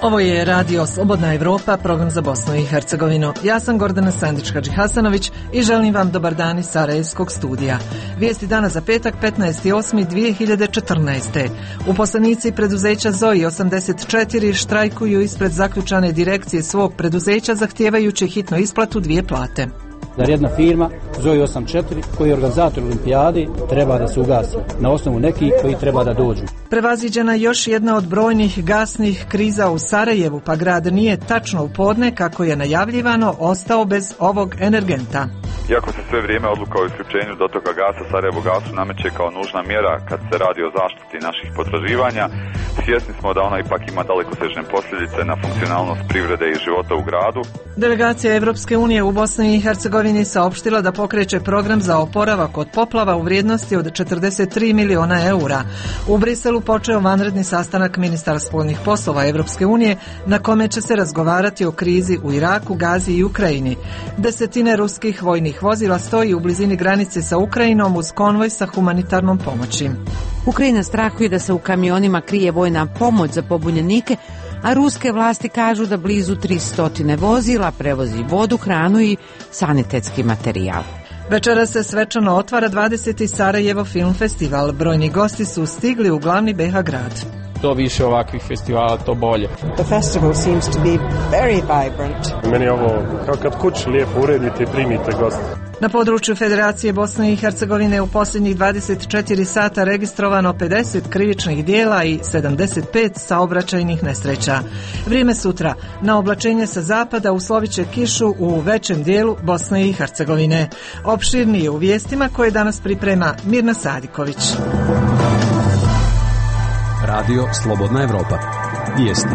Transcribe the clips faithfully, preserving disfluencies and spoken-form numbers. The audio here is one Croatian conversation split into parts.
Ovo je Radio Slobodna Evropa, program za Bosnu i Hercegovinu. Ja sam Gordana Sandić-Hadžihasanović i želim vam dobar dan iz Sarajevskog studija. Vijesti dana za petak, petnaesti osmi dvije hiljade četrnaeste. Uposlenici preduzeća Zoji osamdeset četiri štrajkuju ispred zaključane direkcije svog preduzeća zahtijevajući hitnu isplatu dvije plate. Zar jedna firma, Zoji osamdeset četiri, koji je organizator olimpijade, treba da se ugasi na osnovu nekih koji treba da dođu. Prevaziđena još jedna od brojnih gasnih kriza u Sarajevu, pa grad nije tačno u podne, kako je najavljivano, ostao bez ovog energenta. Iako se sve vrijeme odluka o isključenju dotoka gasa Sarajevo gasu nameće kao nužna mjera kad se radi o zaštiti naših potraživanja, svjesni smo da ona ipak ima dalekosežne posljedice na funkcionalnost privrede i života u gradu. Delegacija Evropske unije u Bosni i Hercegovini saopštila da pokreće program za oporavak od poplava u vrijednosti od četrdeset tri miliona eura. U Briselu počeo vanredni sastanak ministara spoljnih poslova Evropske unije na kome će se razgovarati o krizi u Iraku, Gazi i Ukrajini. Desetine ruskih vojnih vozila stoji u blizini granice sa Ukrajinom uz konvoj sa humanitarnom pomoći. Ukrajina strahuje da se u kamionima krije vojna pomoć za pobunjenike, a ruske vlasti kažu da blizu tristo vozila prevozi vodu, hranu i sanitetski materijal. Večera se svečano otvara dvadeseti Sarajevo film festival. Brojni gosti su stigli u glavni be ha grad. To više ovakvih festivala, to bolje. The festival seems to be very vibrant. Meni je ovo kao kad kući lijepo uredite i primite goste. Na području Federacije Bosne i Hercegovine u posljednjih dvadeset četiri sata registrovano pedeset krivičnih dijela i sedamdeset pet saobraćajnih nesreća. Vrijeme sutra. Na oblačenje sa zapada uslovit će kišu u većem dijelu Bosne i Hercegovine. Opširnije u vijestima koje danas priprema Mirna Sadiković. Radio Slobodna Evropa. Vijesti.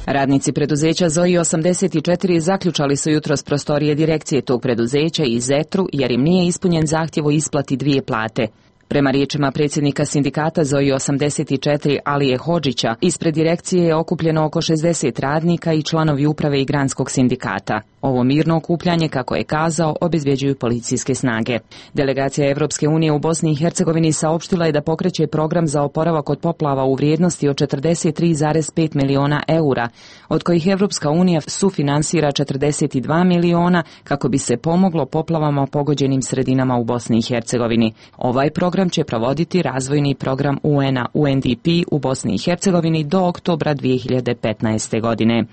Radnici preduzeća Zoji osamdeset četiri zaključali su jutros prostorije direkcije tog preduzeća i Zetru jer im nije ispunjen zahtjev o isplati dvije plate. Prema riječima predsjednika sindikata Zoji osamdeset četiri Alije Hodžića, ispred direkcije je okupljeno oko šezdeset radnika i članovi uprave i granskog sindikata. Ovo mirno okupljanje, kako je kazao, obezbjeđuju policijske snage. Delegacija Evropske unije u Bosni i Hercegovini saopštila je da pokreće program za oporavak od poplava u vrijednosti od četrdeset tri zarez pet miliona eura, od kojih Evropska unija sufinansira četrdeset dva miliona kako bi se pomoglo poplavama pogođenim sredinama u Bosni i Hercegovini. Ovaj program će provoditi razvojni program U N-a U N D P u Bosni i Hercegovini do oktobra dvije hiljade petnaeste. godine.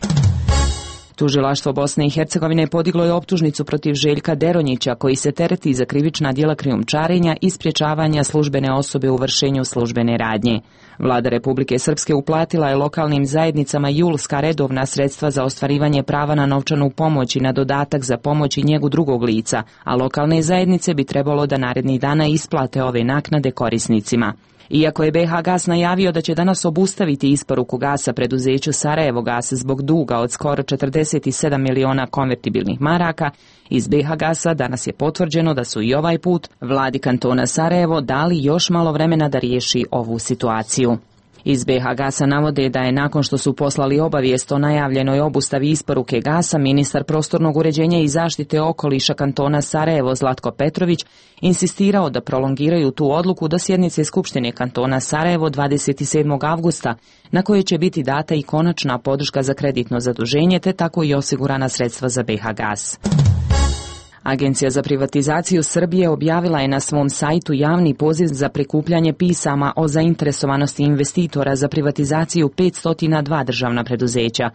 Tužilaštvo Bosne i Hercegovine podiglo je optužnicu protiv Željka Deronjića, koji se tereti za krivična djela krijumčarenja i sprječavanja službene osobe u vršenju službene radnje. Vlada Republike Srpske uplatila je lokalnim zajednicama julska redovna sredstva za ostvarivanje prava na novčanu pomoć i na dodatak za pomoć i njegu drugog lica, a lokalne zajednice bi trebalo da narednih dana isplate ove naknade korisnicima. Iako je be ha Gas najavio da će danas obustaviti isporuku gasa preduzeću Sarajevo Gas zbog duga od skoro četrdeset sedam miliona konvertibilnih maraka, iz be ha Gasa danas je potvrđeno da su i ovaj put vladi kantona Sarajevo dali još malo vremena da riješi ovu situaciju. Iz be ha Gasa navode da je nakon što su poslali obavijest o najavljenoj obustavi isporuke gasa, ministar prostornog uređenja i zaštite okoliša kantona Sarajevo Zlatko Petrović insistirao da prolongiraju tu odluku do sjednice Skupštine kantona Sarajevo dvadeset sedmog avgusta, na kojoj će biti data i konačna podrška za kreditno zaduženje te tako i osigurana sredstva za be ha Gas. Agencija za privatizaciju Srbije objavila je na svom sajtu javni poziv za prikupljanje pisama o zainteresovanosti investitora za privatizaciju petsto dva državna preduzeća.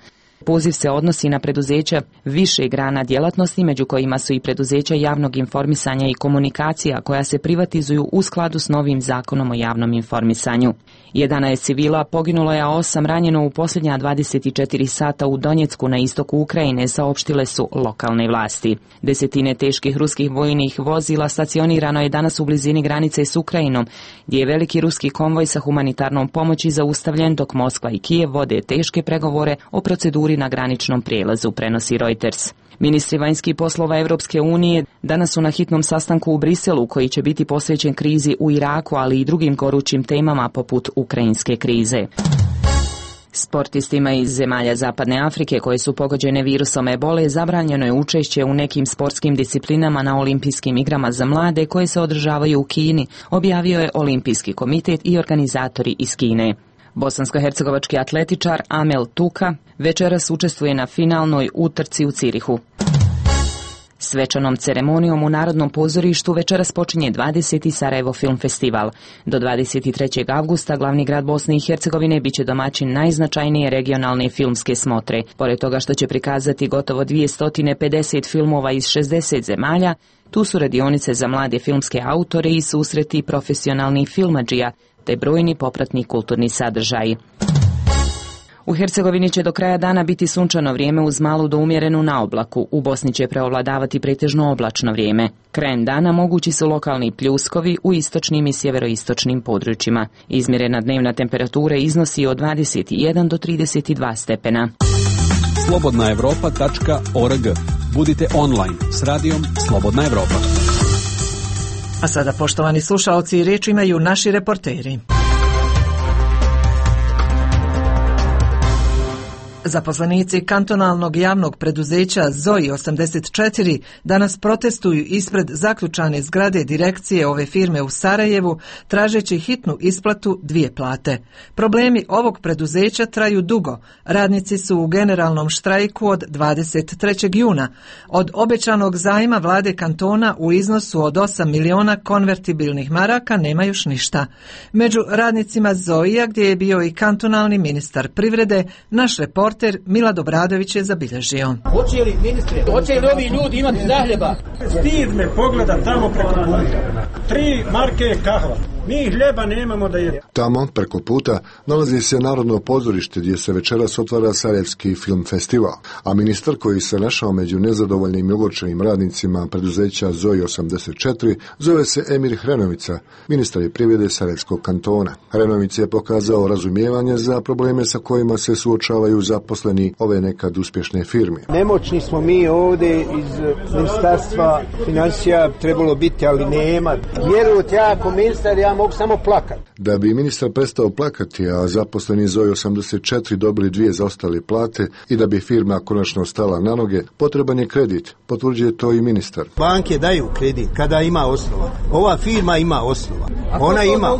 Poziv se odnosi na preduzeća više grana djelatnosti, među kojima su i preduzeća javnog informisanja i komunikacija koja se privatizuju u skladu s novim zakonom o javnom informisanju. jedanaest civila poginulo je, a osam ranjeno u posljednja dvadeset četiri sata u Donjecku na istoku Ukrajine, saopštile su lokalne vlasti. Desetine teških ruskih vojnih vozila stacionirano je danas u blizini granice s Ukrajinom, gdje je veliki ruski konvoj sa humanitarnom pomoći zaustavljen dok Moskva i Kijev vode teške pregovore o proceduri na graničnom prijelazu, prenosi Reuters. Ministri vanjskih poslova Evropske unije danas su na hitnom sastanku u Briselu koji će biti posvećen krizi u Iraku, ali i drugim gorućim temama poput ukrajinske krize. Sportistima iz zemalja Zapadne Afrike koje su pogođene virusom ebole zabranjeno je učešće u nekim sportskim disciplinama na olimpijskim igrama za mlade koje se održavaju u Kini, objavio je Olimpijski komitet i organizatori iz Kine. Bosansko-hercegovački atletičar Amel Tuka večeras učestvuje na finalnoj utrci u Cirihu. Svečanom ceremonijom u Narodnom pozorištu večeras počinje dvadeseti Sarajevo film festival. Do dvadeset trećeg avgusta glavni grad Bosne i Hercegovine biće domaćin najznačajnije regionalne filmske smotre. Pored toga što će prikazati gotovo dvjesto pedeset filmova iz šezdeset zemalja, tu su radionice za mlade filmske autore i susreti profesionalnih filmadžija, te brojni popratni kulturni sadržaji. U Hercegovini će do kraja dana biti sunčano vrijeme uz malu do umjerenu naoblaku. U Bosni će preovladavati pretežno oblačno vrijeme. Krajem dana mogući su lokalni pljuskovi u istočnim i sjeveroistočnim područjima. Izmjerena dnevna temperatura iznosi od dvadeset jedan do trideset dva stepena. slobodna evropa tačka org. Budite online s radijom Slobodna Evropa. A sada, poštovani slušaoci, riječ imaju naši reporteri. Zaposlenici kantonalnog javnog preduzeća Zoi osamdeset četiri danas protestuju ispred zaključane zgrade direkcije ove firme u Sarajevu, tražeći hitnu isplatu dvije plate. Problemi ovog preduzeća traju dugo. Radnici su u generalnom štrajku od dvadeset trećeg juna. Od obećanog zajma vlade kantona u iznosu od osam miliona konvertibilnih maraka nema još ništa. Među radnicima Zoija, gdje je bio i kantonalni ministar privrede, naš reporter Milad Obradović je zabilježio. Hoće li, ministre, hoće li ovi ljudi imati zahljeba? Stid me pogleda tamo preko puta. Tri marke kahva. Mi hljeba nemamo da jedemo. Tamo, preko puta, nalazi se Narodno pozorište gdje se večeras otvara Sarajevski film festival, a ministar koji se našao među nezadovoljnim i ogorčenim radnicima preduzeća Zoi osamdeset četiri zove se Emir Hrenovica, ministar je privrede Sarajevskog kantona. Hrenovica je pokazao razumijevanje za probleme sa kojima se suočavaju zaposleni ove nekad uspješne firme. Nemoćni smo mi ovdje iz ministarstva financija trebalo biti, ali nema. Vjerujte, ja ako ministar, ja mogu samo plakati. Da bi ministar prestao plakati, a zaposleni Zoi osamdeset četiri dobili dvije zaostale plate i da bi firma konačno stala na noge, potreban je kredit, potvrđuje to i ministar. Banke daju kredit kada ima osnova. Ova firma ima osnova. Ona ima.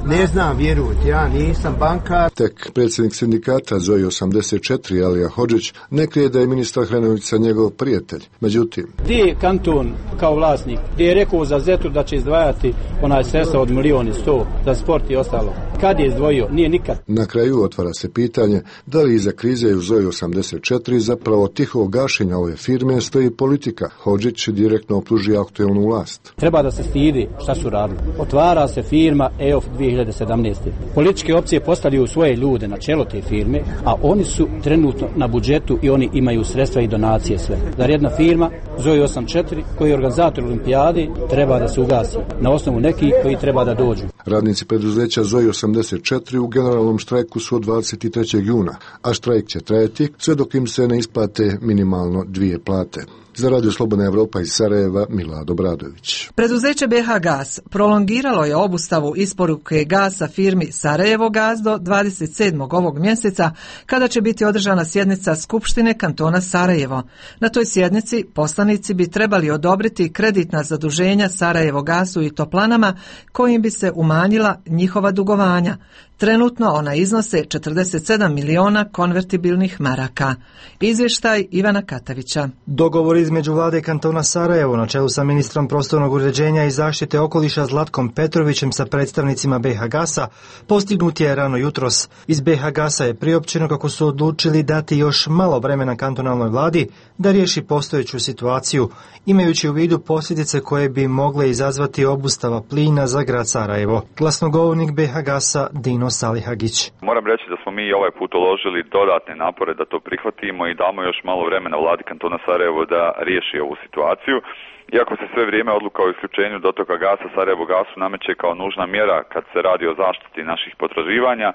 Ne znam, vjerujte, ja nisam bankar. Tek predsjednik sindikata Zoi osamdeset četiri, Alija Hodžić, ne krije da je ministar Hrenovica njegov prijatelj. Međutim, gdje je kanton kao vlasnik, gdje je rekao za Zetu da će izdvajati onaj sredstva od milijoni sto za sport i ostalo? Kad je izdvojio? Nije nikad. Na kraju otvara se pitanje da li iza krize u Zoi osamdeset četiri zapravo tiho gašenja ove firme stoji politika. Hodžić direktno optuži aktuelnu vlast. Treba da se stidi šta su radili. Otvara se firma E O F dvije hiljade sedamnaeste. Političke opcije postavljaju svoje ljude na čelo te firme, a oni su trenutno na budžetu i oni imaju sredstva i donacije sve. Zar jedna firma Zoi osamdeset četiri koji je organizator olimpijade treba da se ugasi na osnovu nekih koji treba da dođu. Radnici preduzeća Zoi osamdeset četiri u generalnom štrajku su od dvadeset trećeg juna, a štrajk će trajati sve dok im se ne isplate minimalno dvije plate. Za Radio Slobodna Evropa iz Sarajeva, Milad Obradović. Preduzeće B H Gas prolongiralo je obustavu isporuke gasa firmi Sarajevo Gas do dvadeset sedmog ovog mjeseca, kada će biti održana sjednica Skupštine kantona Sarajevo. Na toj sjednici poslanici bi trebali odobriti kreditna zaduženja Sarajevo Gasu i Toplanama, kojim bi se umanjila njihova dugovanja. Trenutno ona iznose četrdeset sedam miliona konvertibilnih maraka. Izvještaj Ivana Katavića. Dogovor između vlade kantona Sarajevo na čelu sa ministrom prostornog uređenja i zaštite okoliša Zlatkom Petrovićem sa predstavnicima B H Gasa postignut je rano jutros. Iz B H Gasa je priopćeno kako su odlučili dati još malo vremena kantonalnoj vladi da riješi postojeću situaciju, imajući u vidu posljedice koje bi mogle izazvati obustava plina za grad Sarajevo. Glasnogovornik B H Gasa Dino Salihagić. Moram reći da smo mi ovaj put uložili dodatne napore da to prihvatimo i damo još malo vremena vladi kantona Sarajevo da riješi ovu situaciju. Iako se sve vrijeme odluka o isključenju dotoka gasa Sarajevo Gasu nameće kao nužna mjera kad se radi o zaštiti naših potraživanja,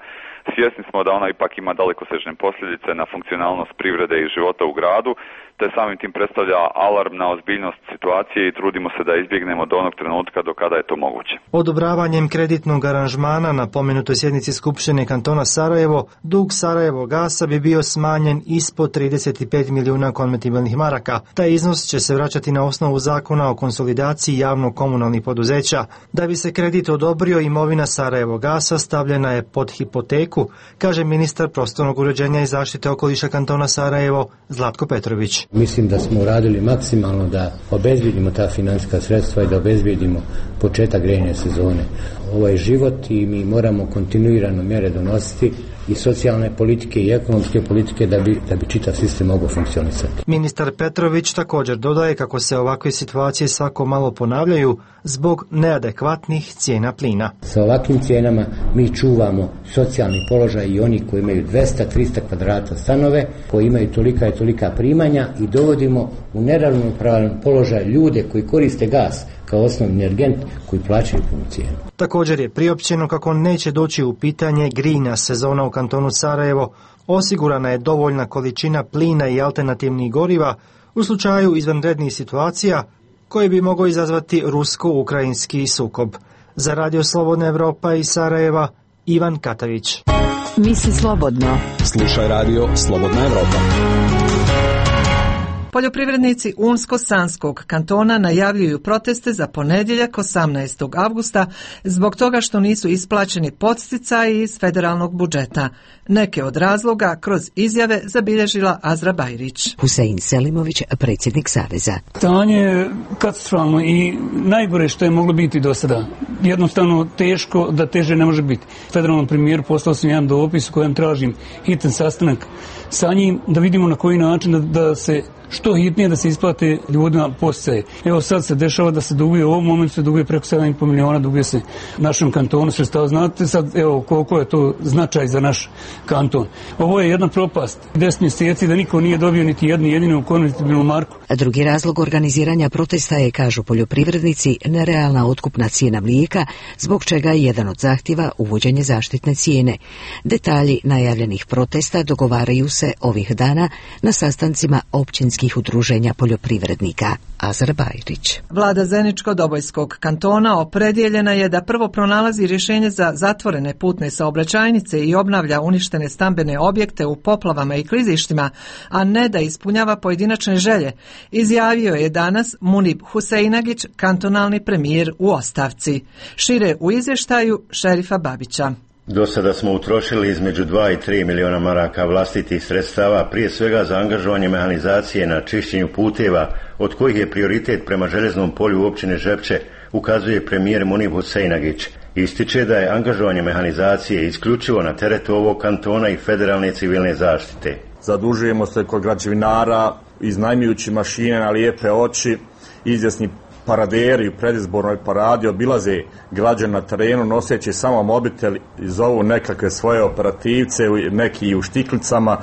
svjesni smo da ona ipak ima dalekosežne posljedice na funkcionalnost privrede i života u gradu, te samim tim predstavlja alarm na ozbiljnost situacije i trudimo se da izbjegnemo do onog trenutka do kada je to moguće. Odobravanjem kreditnog aranžmana na pomenutoj sjednici Skupštine kantona Sarajevo, dug Sarajevo Gasa bi bio smanjen ispod trideset pet milijuna konvertibilnih maraka. Taj iznos će se vraćati na osnovu zakona zakona o konsolidaciji javno-komunalnih poduzeća. Da bi se kredit odobrio, imovina Sarajevogasa stavljena je pod hipoteku, kaže ministar prostornog uređenja i zaštite okoliša kantona Sarajevo Zlatko Petrović. Mislim da smo uradili maksimalno da obezbijedimo ta financijska sredstva i da obezbijedimo početak grejne sezone. Ovo je život i mi moramo kontinuirano mjere donositi i socijalne politike i ekonomske politike da bi, da bi čitav sistem mogao funkcionisati. Ministar Petrović također dodaje kako se ovakve situacije svako malo ponavljaju zbog neadekvatnih cijena plina. Sa ovakvim cijenama mi čuvamo socijalni položaj i oni koji imaju dvesta do trista kvadrata stanove, koji imaju tolika i tolika primanja i dovodimo u neravnopravan položaj ljude koji koriste gas kao osnovni energent koji plaćaju punu cijenu. Također je priopćeno kako neće doći u pitanje grejna sezona u kantonu Sarajevo. Osigurana je dovoljna količina plina i alternativnih goriva u slučaju izvanrednih situacija koje bi mogao izazvati rusko-ukrajinski sukob. Za Radio Slobodna Evropa iz Sarajeva, Ivan Katavić. Misli slobodno. Slušaj Radio Slobodna Evropa. Poljoprivrednici Unsko-Sanskog kantona najavljuju proteste za ponedjeljak osamnaestog avgusta zbog toga što nisu isplaćeni podsticaji iz federalnog budžeta. Neke od razloga kroz izjave zabilježila Azra Bajrić. Husein Selimović, predsjednik Saveza. Stanje je katastrofalno i najgore što je moglo biti do sada. Jednostavno teško da teže ne može biti. Federalnom premijeru poslao sam jedan dopis u kojem tražim hitan sastanak sa njim da vidimo na koji način da, da se što hitnije da se isplate ljudima podsticaje. Evo sad se dešava da se duguje, u ovom momentu se duguje preko sedam i po miliona, duguje se našem kantonu sredstava. Znate sad evo koliko je to značaj za naš kanton. Ovo je jedna propast. Deset mjeseci da niko nije dobio niti jednu jedinu konvertibilnu marku. A drugi razlog organiziranja protesta je, kažu poljoprivrednici, nerealna otkupna cijena mlijeka, zbog čega je jedan od zahtjeva uvođenje zaštitne cijene. Detalji najavljenih protesta dogovaraju se ovih dana na sastancima općinskih udruženja poljoprivrednika. Azar Bajrić. Vlada Zeničko-Dobojskog kantona opredjeljena je da prvo pronalazi rješenje za zatvorene putne saobraćajnice i obnavlja uništene stambene objekte u poplavama i klizištima, a ne da ispunjava pojedinačne želje, izjavio je danas Munib Huseinagić, kantonalni premijer u ostavci. Šire u izvještaju Šerifa Babića. Do sada smo utrošili između dva i tri miliona maraka vlastitih sredstava, prije svega za angažovanje mehanizacije na čišćenju puteva, od kojih je prioritet prema željeznom polju općine Žepče, ukazuje premijer Munib Huseinagić. Ističe da je angažovanje mehanizacije isključivo na teretu ovog kantona i federalne civilne zaštite. Zadužujemo se kod građevinara, iznajmljujući mašine na lijepe oči, izvjesni paraderi u predizbornoj paradi obilaze građane na terenu noseći samo mobitel i zovu nekakve svoje operativce, neki u štiklicama,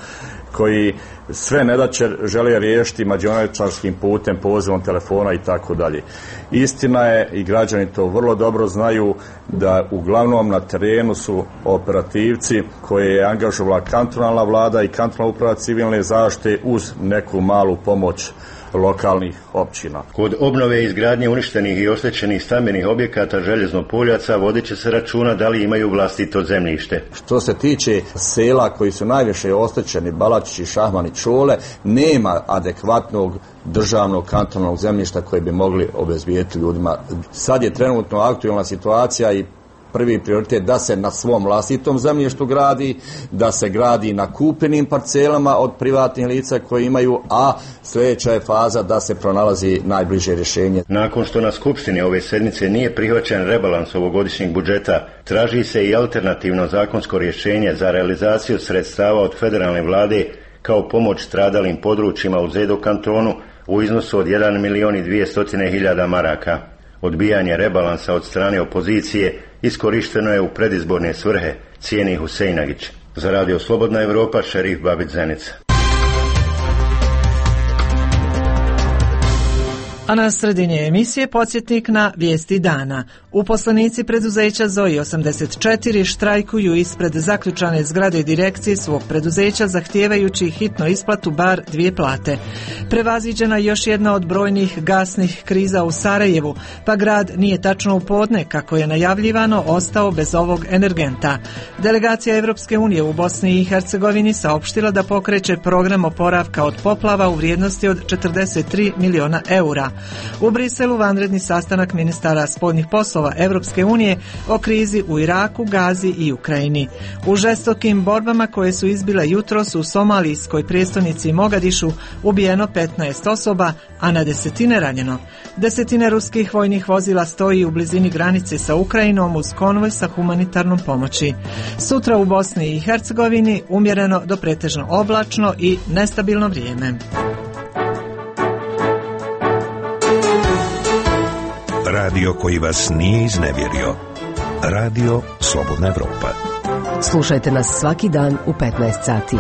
koji sve nedaće žele riješiti mađioničarskim putem, pozivom telefona i tako dalje. Istina je, i građani to vrlo dobro znaju, da uglavnom na terenu su operativci koje je angažovala kantonalna vlada i kantonalna uprava civilne zaštite uz neku malu pomoć lokalnih općina. Kod obnove i izgradnje uništenih i oštećenih stambenih objekata željezno-poljaca vodit će se računa da li imaju vlastito zemljište. Što se tiče sela koji su najviše oštećeni, Balačići, Šahmani, Čole, nema adekvatnog državnog kantonalnog zemljišta koje bi mogli obezbijediti ljudima. Sad je trenutno aktualna situacija i prvi prioritet da se na svom vlastitom zemljištu gradi, da se gradi na kupljenim parcelama od privatnih lica koji imaju, a sljedeća je faza da se pronalazi najbliže rješenje. Nakon što na skupštini ove sedmice nije prihvaćen rebalans ovogodišnjeg budžeta, traži se i alternativno zakonsko rješenje za realizaciju sredstava od federalne vlade kao pomoć stradalim područjima u Zedo kantonu u iznosu od jedan milion i dvjesto hiljada maraka. Odbijanje rebalansa od strane opozicije iskorišteno je u predizborne svrhe, cijeni Huseinagić. Za Radio Slobodna Evropa, Šerif Babić Zenica. A na sredini emisije podsjetnik na vijesti dana. Uposlenici preduzeća Zoji osamdeset četiri štrajkuju ispred zaključane zgrade direkcije svog preduzeća zahtijevajući hitno isplatu bar dvije plate. Prevaziđena još jedna od brojnih gasnih kriza u Sarajevu, pa grad nije tačno u podne, kako je najavljivano, ostao bez ovog energenta. Delegacija Evropske unije u Bosni i Hercegovini saopštila da pokreće program oporavka od poplava u vrijednosti od četrdeset tri miliona eura. U Briselu vanredni sastanak ministara spoljnih poslova Evropske unije o krizi u Iraku, Gazi i Ukrajini. U žestokim borbama koje su izbile jutros u somalijskoj prijestolnici Mogadišu ubijeno petnaest osoba, a na desetine ranjeno. Desetine ruskih vojnih vozila stoji u blizini granice sa Ukrajinom uz konvoj sa humanitarnom pomoći. Sutra u Bosni i Hercegovini umjereno do pretežno oblačno i nestabilno vrijeme. Radio koji vas nije iznevjerio. Radio Slobodna Evropa. Slušajte nas svaki dan u petnaest sati.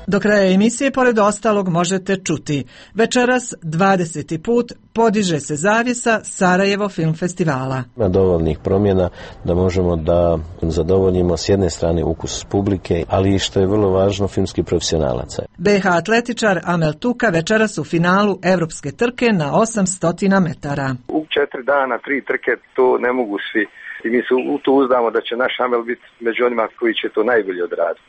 Do kraja emisije, pored ostalog, možete čuti. Večeras dvadeseti put podiže se zavjesa Sarajevo film festivala. Ima dovoljnih promjena da možemo da zadovoljimo s jedne strane ukus publike, ali i što je vrlo važno, filmski profesionalaca. be ha atletičar Amel Tuka večeras u finalu evropske trke na osamsto metara. U četiri dana, tri trke, to ne mogu svi. I mi se u to uzdamo da će naš Amel biti među onima koji će to najbolje odraditi.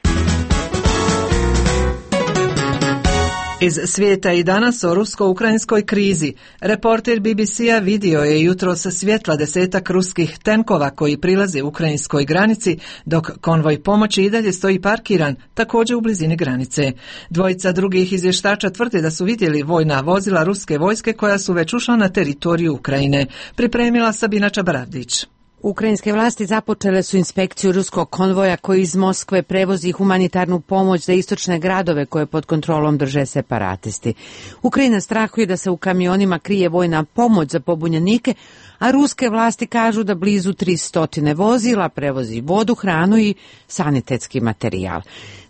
Iz svijeta i danas o rusko-ukrajinskoj krizi. Reporter be be ce-a vidio je jutros svjetla desetak ruskih tenkova koji prilaze ukrajinskoj granici, dok konvoj pomoći i dalje stoji parkiran, također u blizini granice. Dvojica drugih izvještača tvrde da su vidjeli vojna vozila ruske vojske koja su već ušla na teritoriju Ukrajine. Pripremila Sabina Čabaravdić. Ukrajinske vlasti započele su inspekciju ruskog konvoja koji iz Moskve prevozi humanitarnu pomoć za istočne gradove koje pod kontrolom drže separatisti. Ukrajina strahuje da se u kamionima krije vojna pomoć za pobunjenike, a ruske vlasti kažu da blizu tristo vozila prevozi vodu, hranu i sanitetski materijal.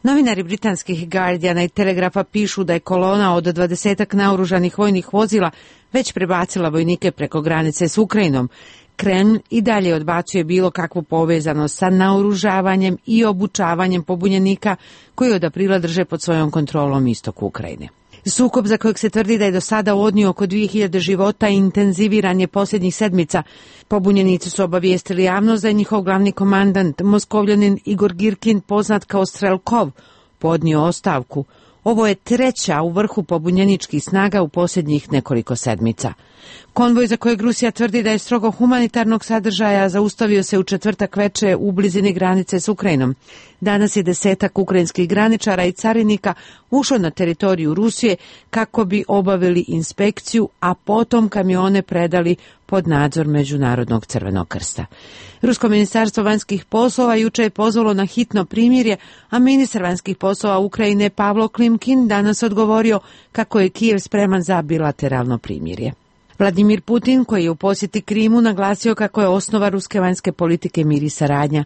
Novinari britanskih Guardiana i Telegrafa pišu da je kolona od dvadesetak naoružanih vojnih vozila već prebacila vojnike preko granice s Ukrajinom. Kremlj i dalje odbacuje bilo kakvu povezanost sa naoružavanjem i obučavanjem pobunjenika koji od aprila drže pod svojom kontrolom istok Ukrajine. Sukob za kojeg se tvrdi da je do sada odnio oko dvije hiljade života i intenziviran je posljednjih sedmica. Pobunjenici su obavijestili javnost da je njihov glavni komandant, Moskovljanin Igor Girkin, poznat kao Strelkov, podnio ostavku. Ovo je treća u vrhu pobunjeničkih snaga u posljednjih nekoliko sedmica. Konvoj za kojeg Rusija tvrdi da je strogo humanitarnog sadržaja zaustavio se u četvrtak veče u blizini granice s Ukrajinom. Danas je desetak ukrajinskih graničara i carinika ušlo na teritoriju Rusije kako bi obavili inspekciju, a potom kamione predali pod nadzor Međunarodnog crvenog krsta. Rusko ministarstvo vanjskih poslova juče je pozvalo na hitno primirje, a ministar vanjskih poslova Ukrajine Pavlo Klimkin danas odgovorio kako je Kijev spreman za bilateralno primirje. Vladimir Putin, koji je u posjeti Krimu, naglasio kako je osnova ruske vanjske politike mir i saradnja.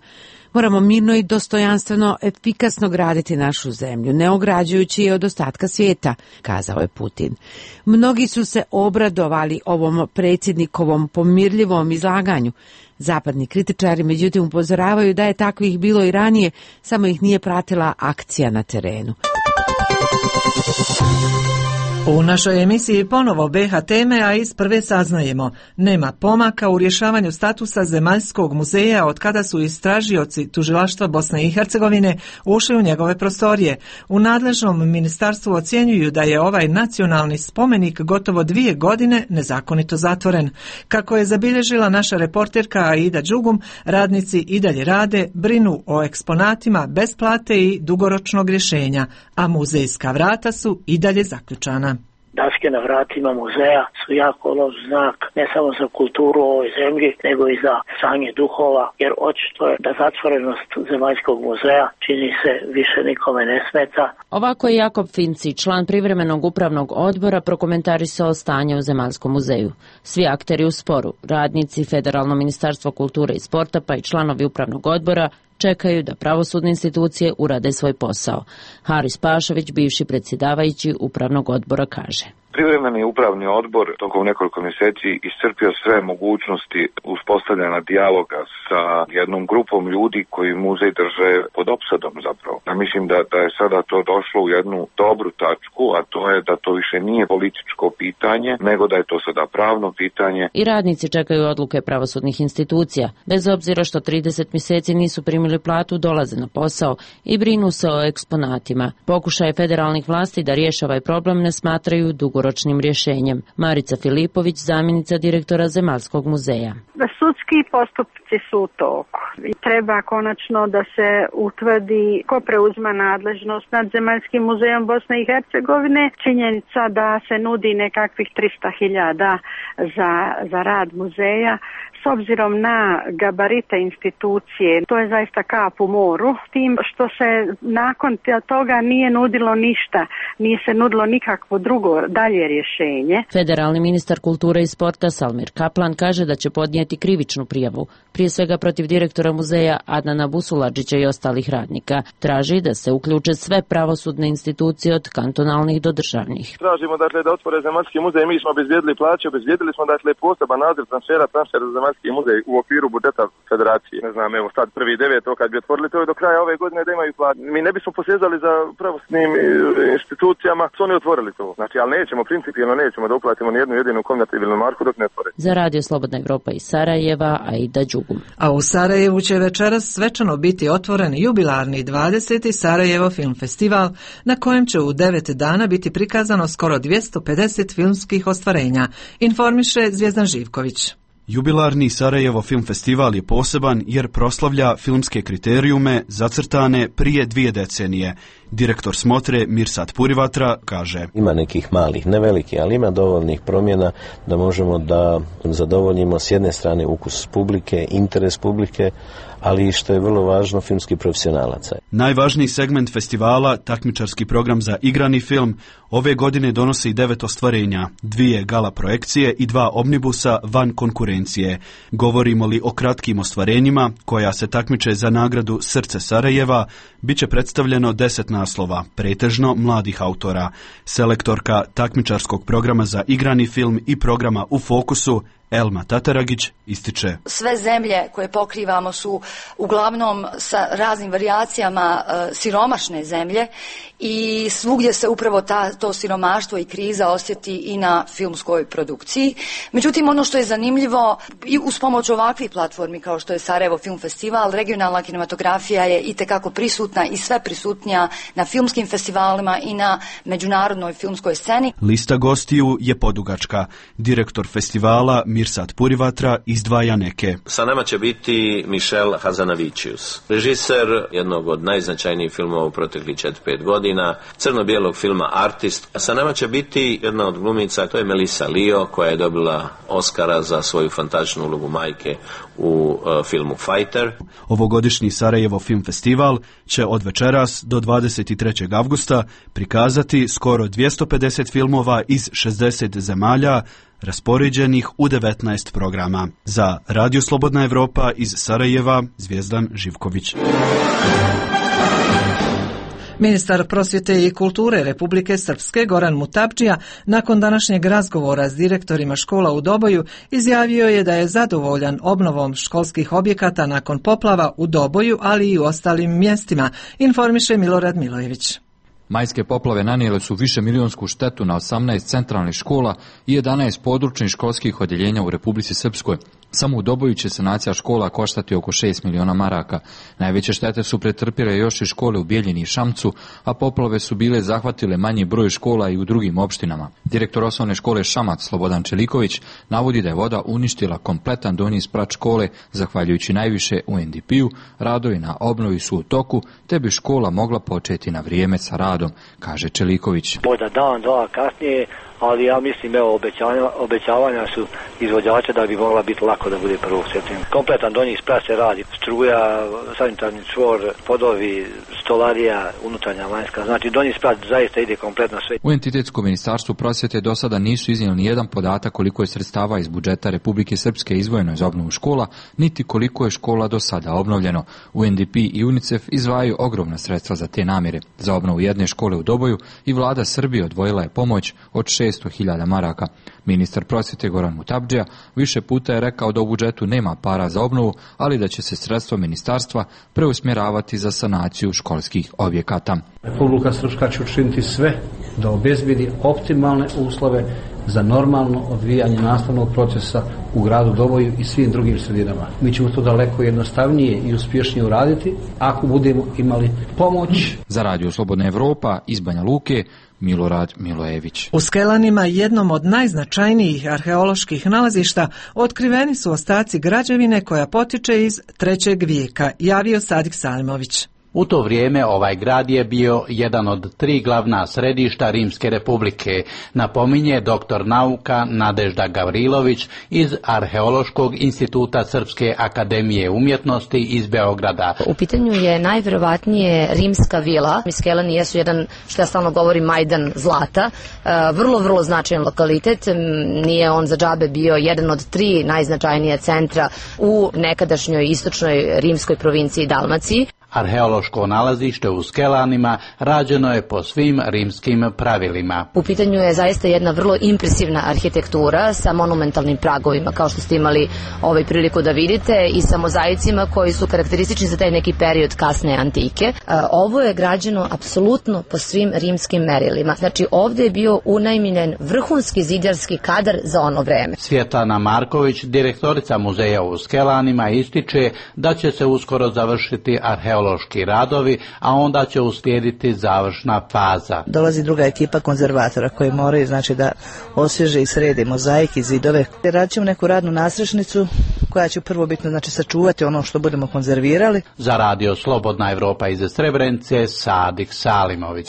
Moramo mirno i dostojanstveno, efikasno graditi našu zemlju, ne ograđujući je od ostatka svijeta, kazao je Putin. Mnogi su se obradovali ovom predsjednikovom pomirljivom izlaganju. Zapadni kritičari međutim upozoravaju da je takvih bilo i ranije, samo ih nije pratila akcija na terenu. U našoj emisiji ponovo be ha teme, a iz prve saznajemo. Nema pomaka u rješavanju statusa Zemaljskog muzeja od kada su istražioci tužilaštva Bosne i Hercegovine ušli u njegove prostorije. U nadležnom ministarstvu ocjenjuju da je ovaj nacionalni spomenik gotovo dvije godine nezakonito zatvoren. Kako je zabilježila naša reporterka Aida Đugum, radnici i dalje rade, brinu o eksponatima bez plate i dugoročnog rješenja, a muzejska vrata su i dalje zaključana. Daske na vratima muzeja su jako loš znak ne samo za kulturu u ovoj zemlji, nego i za stanje duhova, jer očito je da zatvorenost Zemaljskog muzeja čini se više nikome ne smeta. Ovako je Jakob Finci, član privremenog upravnog odbora, prokomentarisao stanje u Zemaljskom muzeju. Svi akteri u sporu, radnici, Federalno ministarstvo kulture i sporta pa i članovi upravnog odbora čekaju da pravosudne institucije urade svoj posao. Haris Pašović, bivši predsjedavajući upravnog odbora, kaže: Privremeni upravni odbor tokom nekoliko mjeseci iscrpio sve mogućnosti uspostavljanja dijaloga sa jednom grupom ljudi koji muzej drže pod opsadom zapravo. Ja mislim da, da je sada to došlo u jednu dobru tačku, a to je da to više nije političko pitanje, nego da je to sada pravno pitanje. I radnici čekaju odluke pravosudnih institucija, bez obzira što trideset mjeseci nisu primili primili platu dolaze na posao i brinu se o eksponatima. Pokušaje federalnih vlasti da riješe ovaj problem ne smatraju dugoročnim rješenjem. Marica Filipović, zamjenica direktora Zemaljskog muzeja. Sudski postupci su u toku. Treba konačno da se utvrdi ko preuzima nadležnost nad Zemaljskim muzejom Bosne i Hercegovine. Činjenica da se nudi nekakvih trista hiljada za, za rad muzeja. S obzirom na gabarite institucije, to je zaista kap u moru, tim što se nakon toga nije nudilo ništa, nije se nudilo nikakvo drugo dalje rješenje. Federalni ministar kulture i sporta Salmir Kaplan kaže da će podnijeti krivičnu prijavu, prije svega protiv direktora muzeja Adnana Busuladžića i ostalih radnika. Traži da se uključe sve pravosudne institucije od kantonalnih do državnih. Tražimo dakle da otvore Zemaljski muzej, mi smo obezbijedili plaće, obezbijedili smo dakle poseban nadzor transfera, transfera za Zemaljski muzej u okviru budžeta federacije. Ne znam, evo sad prvi deveto kad bi otvorili to je do kraja ove godine da imaju plaće. Mi ne bismo posezali za pravosudnim institucijama, su oni otvorili to. Znači, ali nećemo, principijelno nećemo da uplatimo ni jednu jedinu konvertibilnu marku dok ne otvore. Za Radio Slobodna Evropa iz Sarajeva, Aida Đugum. A u Sarajevu će večeras svečano biti otvoren jubilarni dvadeseti Sarajevo film festival, na kojem će u devet dana biti prikazano skoro dvjesto pedeset filmskih ostvarenja, informiše Zvjezdan Živković. Jubilarni Sarajevo film festival je poseban jer proslavlja filmske kriterijume zacrtane prije dvije decenije. Direktor smotre Mirsad Purivatra kaže: Ima nekih malih, ne veliki, ali ima dovoljnih promjena da možemo da zadovoljimo s jedne strane ukus publike, interes publike, ali i što je vrlo važno, filmski profesionalaca. Najvažniji segment festivala, takmičarski program za igrani film, ove godine donosi devet ostvarenja, dvije gala projekcije i dva omnibusa van konkurencije. Govorimo li o kratkim ostvarenjima, koja se takmiče za nagradu Srce Sarajeva, bit će predstavljeno deset naslova, pretežno mladih autora. Selektorka takmičarskog programa za igrani film i programa U fokusu, Elma Tataragić, ističe: Sve zemlje koje pokrivamo su uglavnom sa raznim varijacijama e, siromašne zemlje i svugdje se upravo ta, to siromaštvo i kriza osjeti i na filmskoj produkciji. Međutim, ono što je zanimljivo, i uz pomoć ovakvih platformi kao što je Sarajevo Film Festival, regionalna kinematografija je itekako prisutna i sve prisutnija na filmskim festivalima i na međunarodnoj filmskoj sceni. Lista gostiju je podugačka. Direktor festivala Mirsad Purivatra izdvaja neke. Sa nama će biti Michel Hazanavicius, režiser jednog od najznačajnijih filmova u proteklih četiri pet godina, crno-bijelog filma Artist. A sa nama će biti jedna od glumica, to je Melissa Leo, koja je dobila Oscara za svoju fantastičnu ulogu majke u uh, filmu Fighter. Ovogodišnji Sarajevo film festival će od večeras do dvadeset trećeg avgusta prikazati skoro dvjesto pedeset filmova iz šezdeset zemalja, raspoređenih u devetnaest programa. Za Radio Slobodna Evropa iz Sarajeva, Zvjezdan Živković. Ministar prosvjete i kulture Republike Srpske Goran Mutabdžija nakon današnjeg razgovora s direktorima škola u Doboju izjavio je da je zadovoljan obnovom školskih objekata nakon poplava u Doboju, ali i u ostalim mjestima, informiše Milorad Milojević. Majske poplave nanijele su višemilionsku štetu na osamnaest centralnih škola i jedanaest područnih školskih odjeljenja u Republici Srpskoj. Samo u Doboju će sanacija škola koštati oko šest miliona maraka. Najveće štete su pretrpile još i škole u Bijeljini i Šamcu, a poplave su bile zahvatile manji broj škola i u drugim opštinama. Direktor osnovne škole Šamac Slobodan Čeliković navodi da je voda uništila kompletan donji sprat škole, zahvaljujući najviše U N D P-u, radovi na obnovi su u toku, te bi škola mogla početi na vrijeme sa radom, kaže Čeliković. Možda dan, dva kasnije, ali ja mislim, evo, obećavanja, obećavanja su izvođača da bi mogla biti lako da bude prvog septembra. Kompletan donji sprat se radi, struja, sanitarni čvor, podovi, stolarija, unutarnja, vanjska. Znači, donji sprat zaista ide kompletno sve. U Entitetsko ministarstvu prosvjete do sada nisu iznijeli ni jedan podatak koliko je sredstava iz budžeta Republike Srpske izdvojeno za obnovu škola, niti koliko je škola do sada obnovljeno. U N D P i UNICEF izdvajaju ogromna sredstva za te namjere. Za obnovu jedne škole u Doboju i vlada Srbije odvojila je pomoć od šesto hiljada maraka. Ministar prosvjete Goran Mutabdžija više puta je rekao da u budžetu nema para za obnovu, ali da će se sredstva ministarstva preusmjeravati za sanaciju školskih objekata. Republika Srpska će učiniti sve da obezbedi optimalne uslove za normalno odvijanje nastavnog procesa u gradu Doboju i svim drugim sredinama. Mi ćemo to daleko jednostavnije i uspješnije uraditi ako budemo imali pomoć. Za Radio Slobodna Evropa iz Banja Luke, Milorad Milojević. U Skelanima, jednom od najznačajnijih arheoloških nalazišta, otkriveni su ostaci građevine koja potiče iz trećeg vijeka, javio Sadik Salimović. U to vrijeme ovaj grad je bio jedan od tri glavna središta Rimske republike, napominje doktor nauka Nadežda Gavrilović iz Arheološkog instituta Srpske akademije umjetnosti iz Beograda. U pitanju je najvjerovatnije rimska vila. Skelani jesu jedan, što ja stalno govorim, majdan zlata, vrlo, vrlo značajan lokalitet. Nije on za džabe bio jedan od tri najznačajnije centra u nekadašnjoj istočnoj rimskoj provinciji Dalmaciji. Arheološko nalazište u Skelanima rađeno je po svim rimskim pravilima. U pitanju je zaista jedna vrlo impresivna arhitektura sa monumentalnim pragovima, kao što ste imali ovaj priliku da vidite, i sa mozaicima koji su karakteristični za taj neki period kasne antike. Ovo je građeno apsolutno po svim rimskim merilima. Znači, ovdje je bio unajmljen vrhunski zidarski kadar za ono vreme. Svjetlana Marković, direktorica muzeja u Skelanima, ističe da će se uskoro završiti arheološki radovi, a onda će uslijediti završna faza. Dolazi druga ekipa konzervatora koji moraju, znači, da osvježe i srede mozaik i zidove. Radit ćemo neku radnu nasrešnicu koja će prvo bitno, znači, sačuvati ono što budemo konzervirali. Za Radio Slobodna Evropa iz Srebrenice, Sadik Salimović.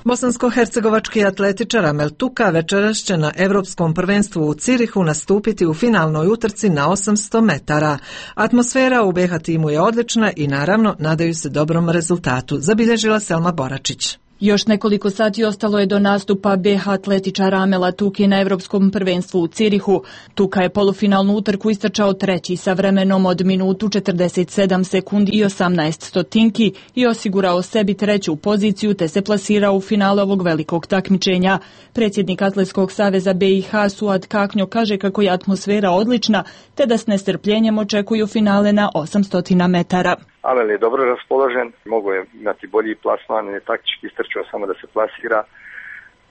Bosansko-hercegovački atletičar Amel Tuka večeras će na Europskom prvenstvu u Cirihu nastupiti u finalnoj utrci na osamsto metara. Atmosfera u B H timu je odlična i naravno nadaju se dobrom rezultatu, zabilježila Selma Boračić. Još nekoliko sati ostalo je do nastupa B H atletičara Amela Tuki na Europskom prvenstvu u Cirihu. Tuka je polufinalnu utrku istrčao treći sa vremenom od minutu četrdeset sedam sekundi i osamnaest stotinki i osigurao sebi treću poziciju te se plasirao u finale ovog velikog takmičenja. Predsjednik Atletskog saveza B i H Suad Kaknjo kaže kako je atmosfera odlična te da s nestrpljenjem očekuju finale na osamsto metara. Amel je dobro raspoložen, mogu je imati bolji plasman, je taktički istrčao samo da se plasira.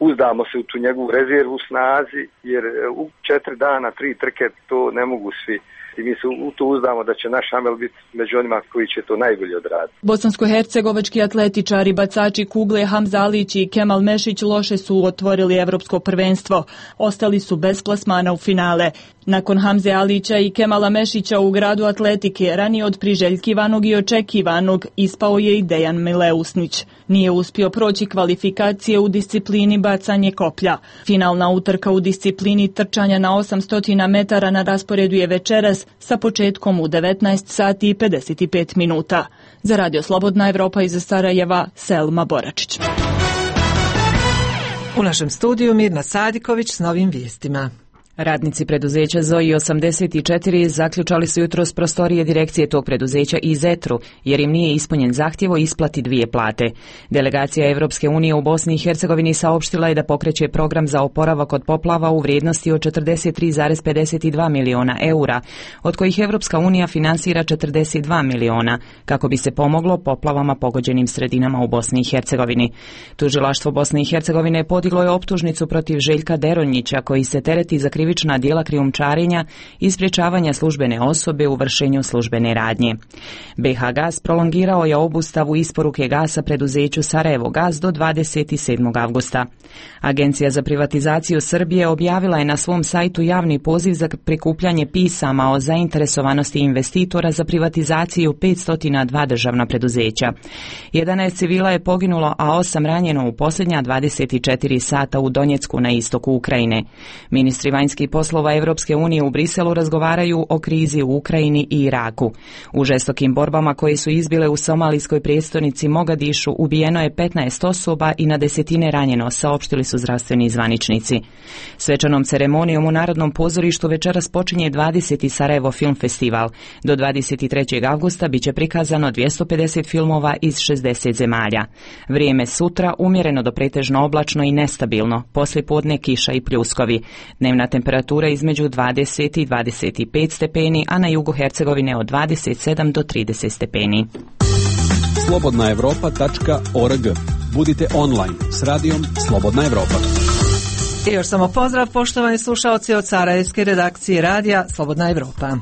Uzdamo se u tu njegovu rezervu snazi, jer u četiri dana, tri trke, to ne mogu svi. I mi se u to uzdamo da će naš Amel biti među onima koji će to najbolje odraditi. Bosansko-hercegovački atletičari, bacači kugle Hamza Alić i Kemal Mešić loše su otvorili Evropsko prvenstvo. Ostali su bez plasmana u finale. Nakon Hamze Alića i Kemala Mešića u gradu atletike, ranije od priželjkivanog i očekivanog, ispao je i Dejan Mileusnić. Nije uspio proći kvalifikacije u disciplini bacanje koplja. Finalna utrka u disciplini trčanja na osamsto metara na rasporedu je večeras sa početkom u devetnaest sati i pedeset pet minuta. Za Radio Slobodna Evropa iz Sarajeva, Selma Boračić. U našem studiju Mirna Sadiković s novim vijestima. Radnici preduzeća Zoji osamdeset četiri zaključali su jutros prostorije direkcije tog preduzeća i Zetru, jer im nije ispunjen zahtjev o isplati dvije plate. Delegacija Evropske unije u Bosni i Hercegovini saopštila je da pokreće program za oporavak od poplava u vrijednosti od četrdeset tri zarez pedeset dva miliona eura, od kojih Evropska unija finansira četrdeset dva miliona, kako bi se pomoglo poplavama pogođenim sredinama u Bosni i Hercegovini. Tužilaštvo Bosne i Hercegovine podiglo je optužnicu protiv Željka Deronjića, koji se tereti za krivična djela krijumčarenja i sprječavanja službene osobe u vršenju službene radnje. B H Gas prolongirao je obustavu isporuke gasa preduzeću Sarajevo Gas do dvadeset sedmog avgusta. Agencija za privatizaciju Srbije objavila je na svom sajtu javni poziv za prikupljanje pisama o zainteresovanosti investitora za privatizaciju petsto dva državna preduzeća. jedanaest civila je poginulo, a osam ranjeno u posljednja dvadeset četiri sata u Donjecku na istoku Ukrajine. Ministri vanjskih poslova Evropske unije u Briselu razgovaraju o krizi u Ukrajini i Iraku. U žestokim borbama koje su izbile u somalijskoj prijestolnici Mogadišu ubijeno je petnaest osoba i na desetine ranjeno, saopštili su zdravstveni zvaničnici. Svečanom ceremonijom u Narodnom pozorištu večeras počinje dvadeseti Sarajevo film festival. Do dvadeset trećeg avgusta biće prikazano dvjesto pedeset filmova iz šezdeset zemalja. Vrijeme sutra umjereno do pretežno oblačno i nestabilno, poslijepodne kiša i pljuskovi. Dnevna temperatura između dvadeset i dvadeset pet stepeni, a na jugu Hercegovine od dvadeset sedam do trideset stepeni. slobodna evropa tačka org. Budite online s radijom Slobodna Evropa. I još samo pozdrav poštovani slušaoci od sarajevske redakcije radija Slobodna Evropa.